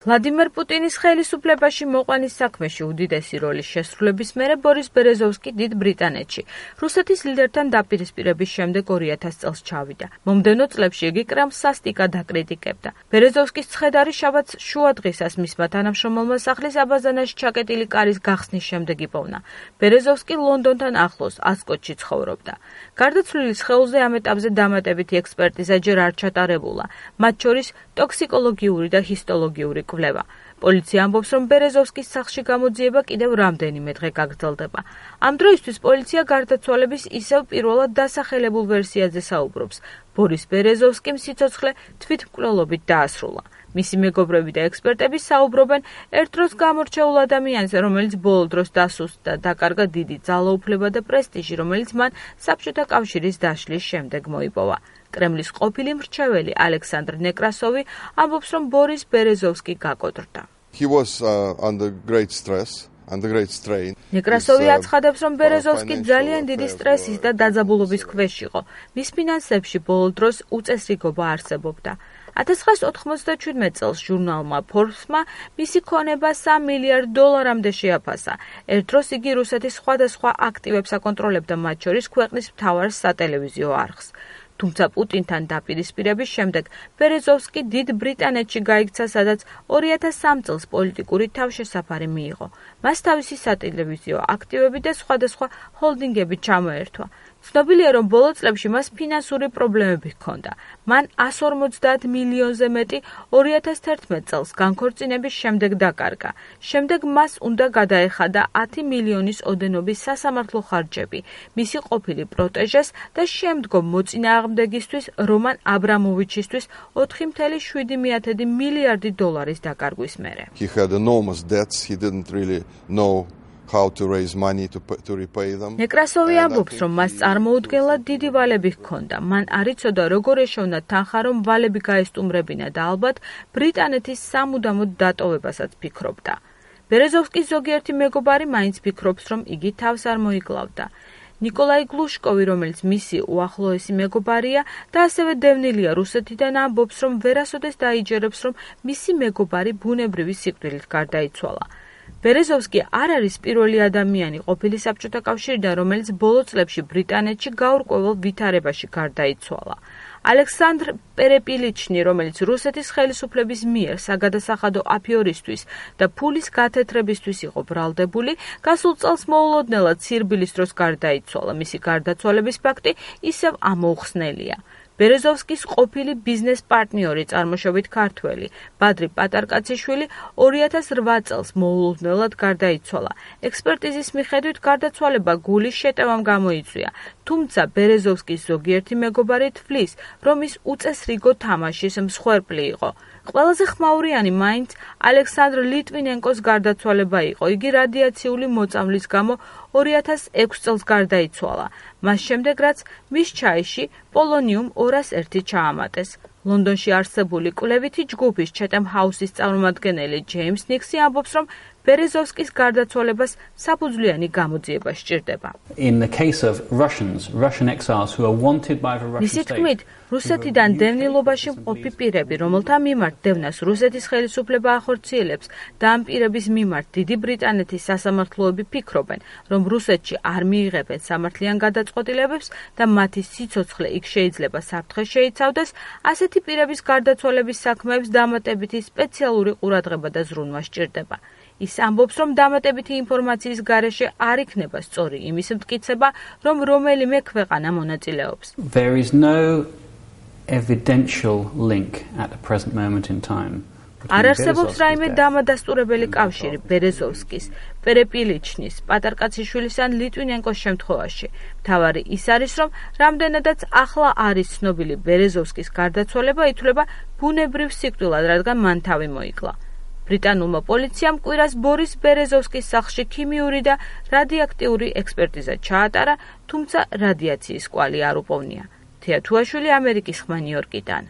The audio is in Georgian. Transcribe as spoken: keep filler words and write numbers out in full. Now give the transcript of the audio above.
ვლადიმერ პუტინის ხელისუფლებაში მოყვანის საქმეში უდიდესი როლის შესრულების მერე ბორის ბერეზოვსკი დიდ ბრიტანეთში რუსეთის ლიდერთან დაპირისპირების შემდეგ ორი ათას წელს ჩავიდა. მომდევნო წლებში იგი კრემლს სასტიკად აკრიტიკებდა. ბერეზოვსკის ცხედარი შაბათს შუადღისას მისმა თანამშრომელმა სახლის აბაზანაში ჩაკეტილი კარის გახსნის შემდეგ იპოვნა. ბერეზოვსკი ლონდონთან ახლოს ასკოტში ცხოვრობდა. გარდაცვლილის სხეულზე ამ ეტაპზე დამატებითი ექსპერტიზა ჯერ არ ჩატარებულა, მათ შორის ტოქსიკოლოგიური და ჰისტოლოგიური კვლევა. პოლიცია ამბობს, რომ ბერეზოვსკის სახლში გამოძიება კიდევ რამდენიმე დღე გაგრძელდება. ამ დროისთვის პოლიცია გარდაცვალების ისევ პირველად დასახელებულ ვერსიაზე საუბრობს. ბორის ბერეზოვსკიმ სიცოცხლე თვითმკვლელობით დაასრულა. მისი მეგობრები და ექსპერტები საუბრობენ ერთ დროს გამორჩეულ ადამიანზე, რომელიც ბოლო დროს დასუსტდა, დაკარგა დიდი ძალაუფლება და პრესტიჟი, რომელიც მან საბჭოთა კავშირის დაშლის შემდეგ მოიპოვა. კრემლის ყოფილი მრჩეველი ალექსანდრ ნეკრასოვი ამბობს, რომ ბორის ბერეზოვსკი გაკოტრდა. He was uh, under great stress. ნეკრასოვი აცხადებს, რომ ბერეზოვსკი ძალიან დიდი სტრესის და დაძაბულობის ქვეშ იყო. მის ფინანსებში ბოლო დროს უწესრიგობა არსებობდა. ათას ცხრაასი ოთხმოცდაჩვიდმეტ წელს ჟურნალმა Forbes-მა მისი ქონება სამ მილიარდ დოლარამდე შეაფასა. ერთ დროს იგი რუსეთის სხვადასხვა აქტივებს აკონტროლებდა, მათ შორის ქვეყნის მთავარ სატელევიზიო არხს. თუმცა პუტინთან დაპირისპირების შემდეგ ბერეზოვსკი დიდ ბრიტანეთში გაიქცა, სადაც ორი ათას სამ წელს პოლიტიკური თავშესაფარი მიიღო. მას თავისი სატელევიზიო აქტივები და სხვადასხვა ჰოლდინგები ჩამოერთვა. ცნობილია, რომ ბოლო წლებში მას ფინანსური პრობლემები ჰქონდა. მან εκατს ორმოცდაათ მილიონზე მეტი ორი ათას თერთმეტ წელს განქორწინების შემდეგ დაკარგა. შემდეგ მას უნდა გადაეხადა ათი მილიონის ოდენობის სასამართლო ხარჯები მისი ყოფილი პროტეჟეს და შემდგომ მოწინააღმდეგისთვის რომან აბრამოვიჩისთვის ოთხი წუთი შვიდი მილიარდი დოლარის დაკარგვის მერე. He had enormous debts. He didn't really know how to raise money to, to repay them. ნეკრასოვი ამბობს, რომ მას წარმოუდგენლად დიდი ვალები ჰქონდა. მან არ იცოდა, როგორ ეშოვნა თანხა, რომ ვალები გაესტუმრებინა და ალბათ ბრიტანეთის სამუდამოდ დატოვებასაც ფიქრობდა. ბერეზოვსკის ზოგიერთი მეგობარი მაინც ფიქრობს, რომ იგი თავს არ მოიკლავდა. ნიკოლაი გლუშკოვი, რომელიც მისი უახლოესი მეგობარია და ასევე დევნილია რუსეთიდან, ამბობს, რომ ვერასოდეს დაიჯერებს, რომ მისი მეგობარი ბუნებრივი სიკვდილით გარდაიცვალა. ბერეზოვსკი არ არის პირველი ადამიანი ყოფილი საბჭოთა კავშირიდან, რომელიც ბოლო წლებში ბრიტანეთში გაურკვეველ ვითარებაში გარდაიცვალა. ალექსანდრ პერეპილიჩნი, რომელიც რუსეთის ხელისუფლების მიერ საგადასახადო აფიორისთვის და ფულის გათეთრებისთვის იყო ბრალდებული, გასულ წელს მოულოდნელად სირბილის დროს გარდაიცვალა. მისი გარდაცვალების ფაქტი ისევ ამოუხსნელია. ბერეზოვსკის ყოფილი ბიზნეს პარტნიორი, წარმოშობით ქართველი, ბადრი პატარკაციშვილი ორი ათას რვა წელს მოულოდნელად გარდაიცვალა. ექსპერტიზის მიხედვით გარდაცვალება გულის შეტევამ გამოიწვია, თუმცა ბერეზოვსკის ზოგიერთი მეგობარი თვლის, რომ ის უწესრიგო თამაშის მსხვერპლი იყო. ყველაზე ხმაურიანი მაინც ალექსანდრ ლიტვინენკოს გარდაცვალება იყო. იგი რადიაციული მოწამვლის გამო ორი ათას ექვსი წელს გარდაიცვალა. მას შემდეგ, რაც მის ჩაიში პოლონიუმ ორას ერთი ჩაამატეს. ლონდონში არსებული კვლევითი ჯგუფის Chatham House-ის წარმომადგენელი ჯეიმს ნიქსი ამბობს, რომ ბერეზოვსკის გარდაცვალებას საფუძვლიანი გამოძიება სჭირდება. In the case of Russians, Russian exiles who are wanted by the Russian მისი state. თქმით, რუსეთიდან დევნილობაში მყოფი პირები, რომელთა მიმართ დევნას რუსეთის ხელისუფლება ახორციელებს და ამ პირების მიმართ დიდი ბრიტანეთის სასამართლოები ფიქრობენ, რომ რუსეთში არ მიიღებენ სამართლიან გადაწყვეტილებებს და მათი სიცოცხლე იქ შეიძლება საფრთხეს შეიცავდეს, ასეთი პირების გარდაცვალების საქმეებს დამატებითი სპეციალური ყურადღება და ზრუნვა სჭირდება. ის ამბობს, რომ დამატებითი ინფორმაციის გარეშე არ იქნება სწორი იმის მტკიცება, რომ რომელიმე ქვეყანა მონაწილეობს. There is no evidential link at the present moment in time. არ არსებობს რაიმე დამადასტურებელი კავშირი ბერეზოვსკის, პერეპილიჩნის, პატარკაციშვილის ან ლიტვინენკოს შემთხვევაში. მთავარი ის არის, რომ რამდენადაც ახლა არის ცნობილი ბერეზოვსკის გარდაცვალება ითვლება ბუნებრივ სიკვდილად, რადგან მან თავი მოიკლა. ბრიტანულმა პოლიციამ კვირას ბორის ბერეზოვსკის სახლში ქიმიური და რადიოაქტიური ექსპერტიზა ჩაატარა, თუმცა რადიაციის კვალი არ უპოვნია. თეა თუაშვილი, ამერიკის ხმა, ნიუ-იორკიდან.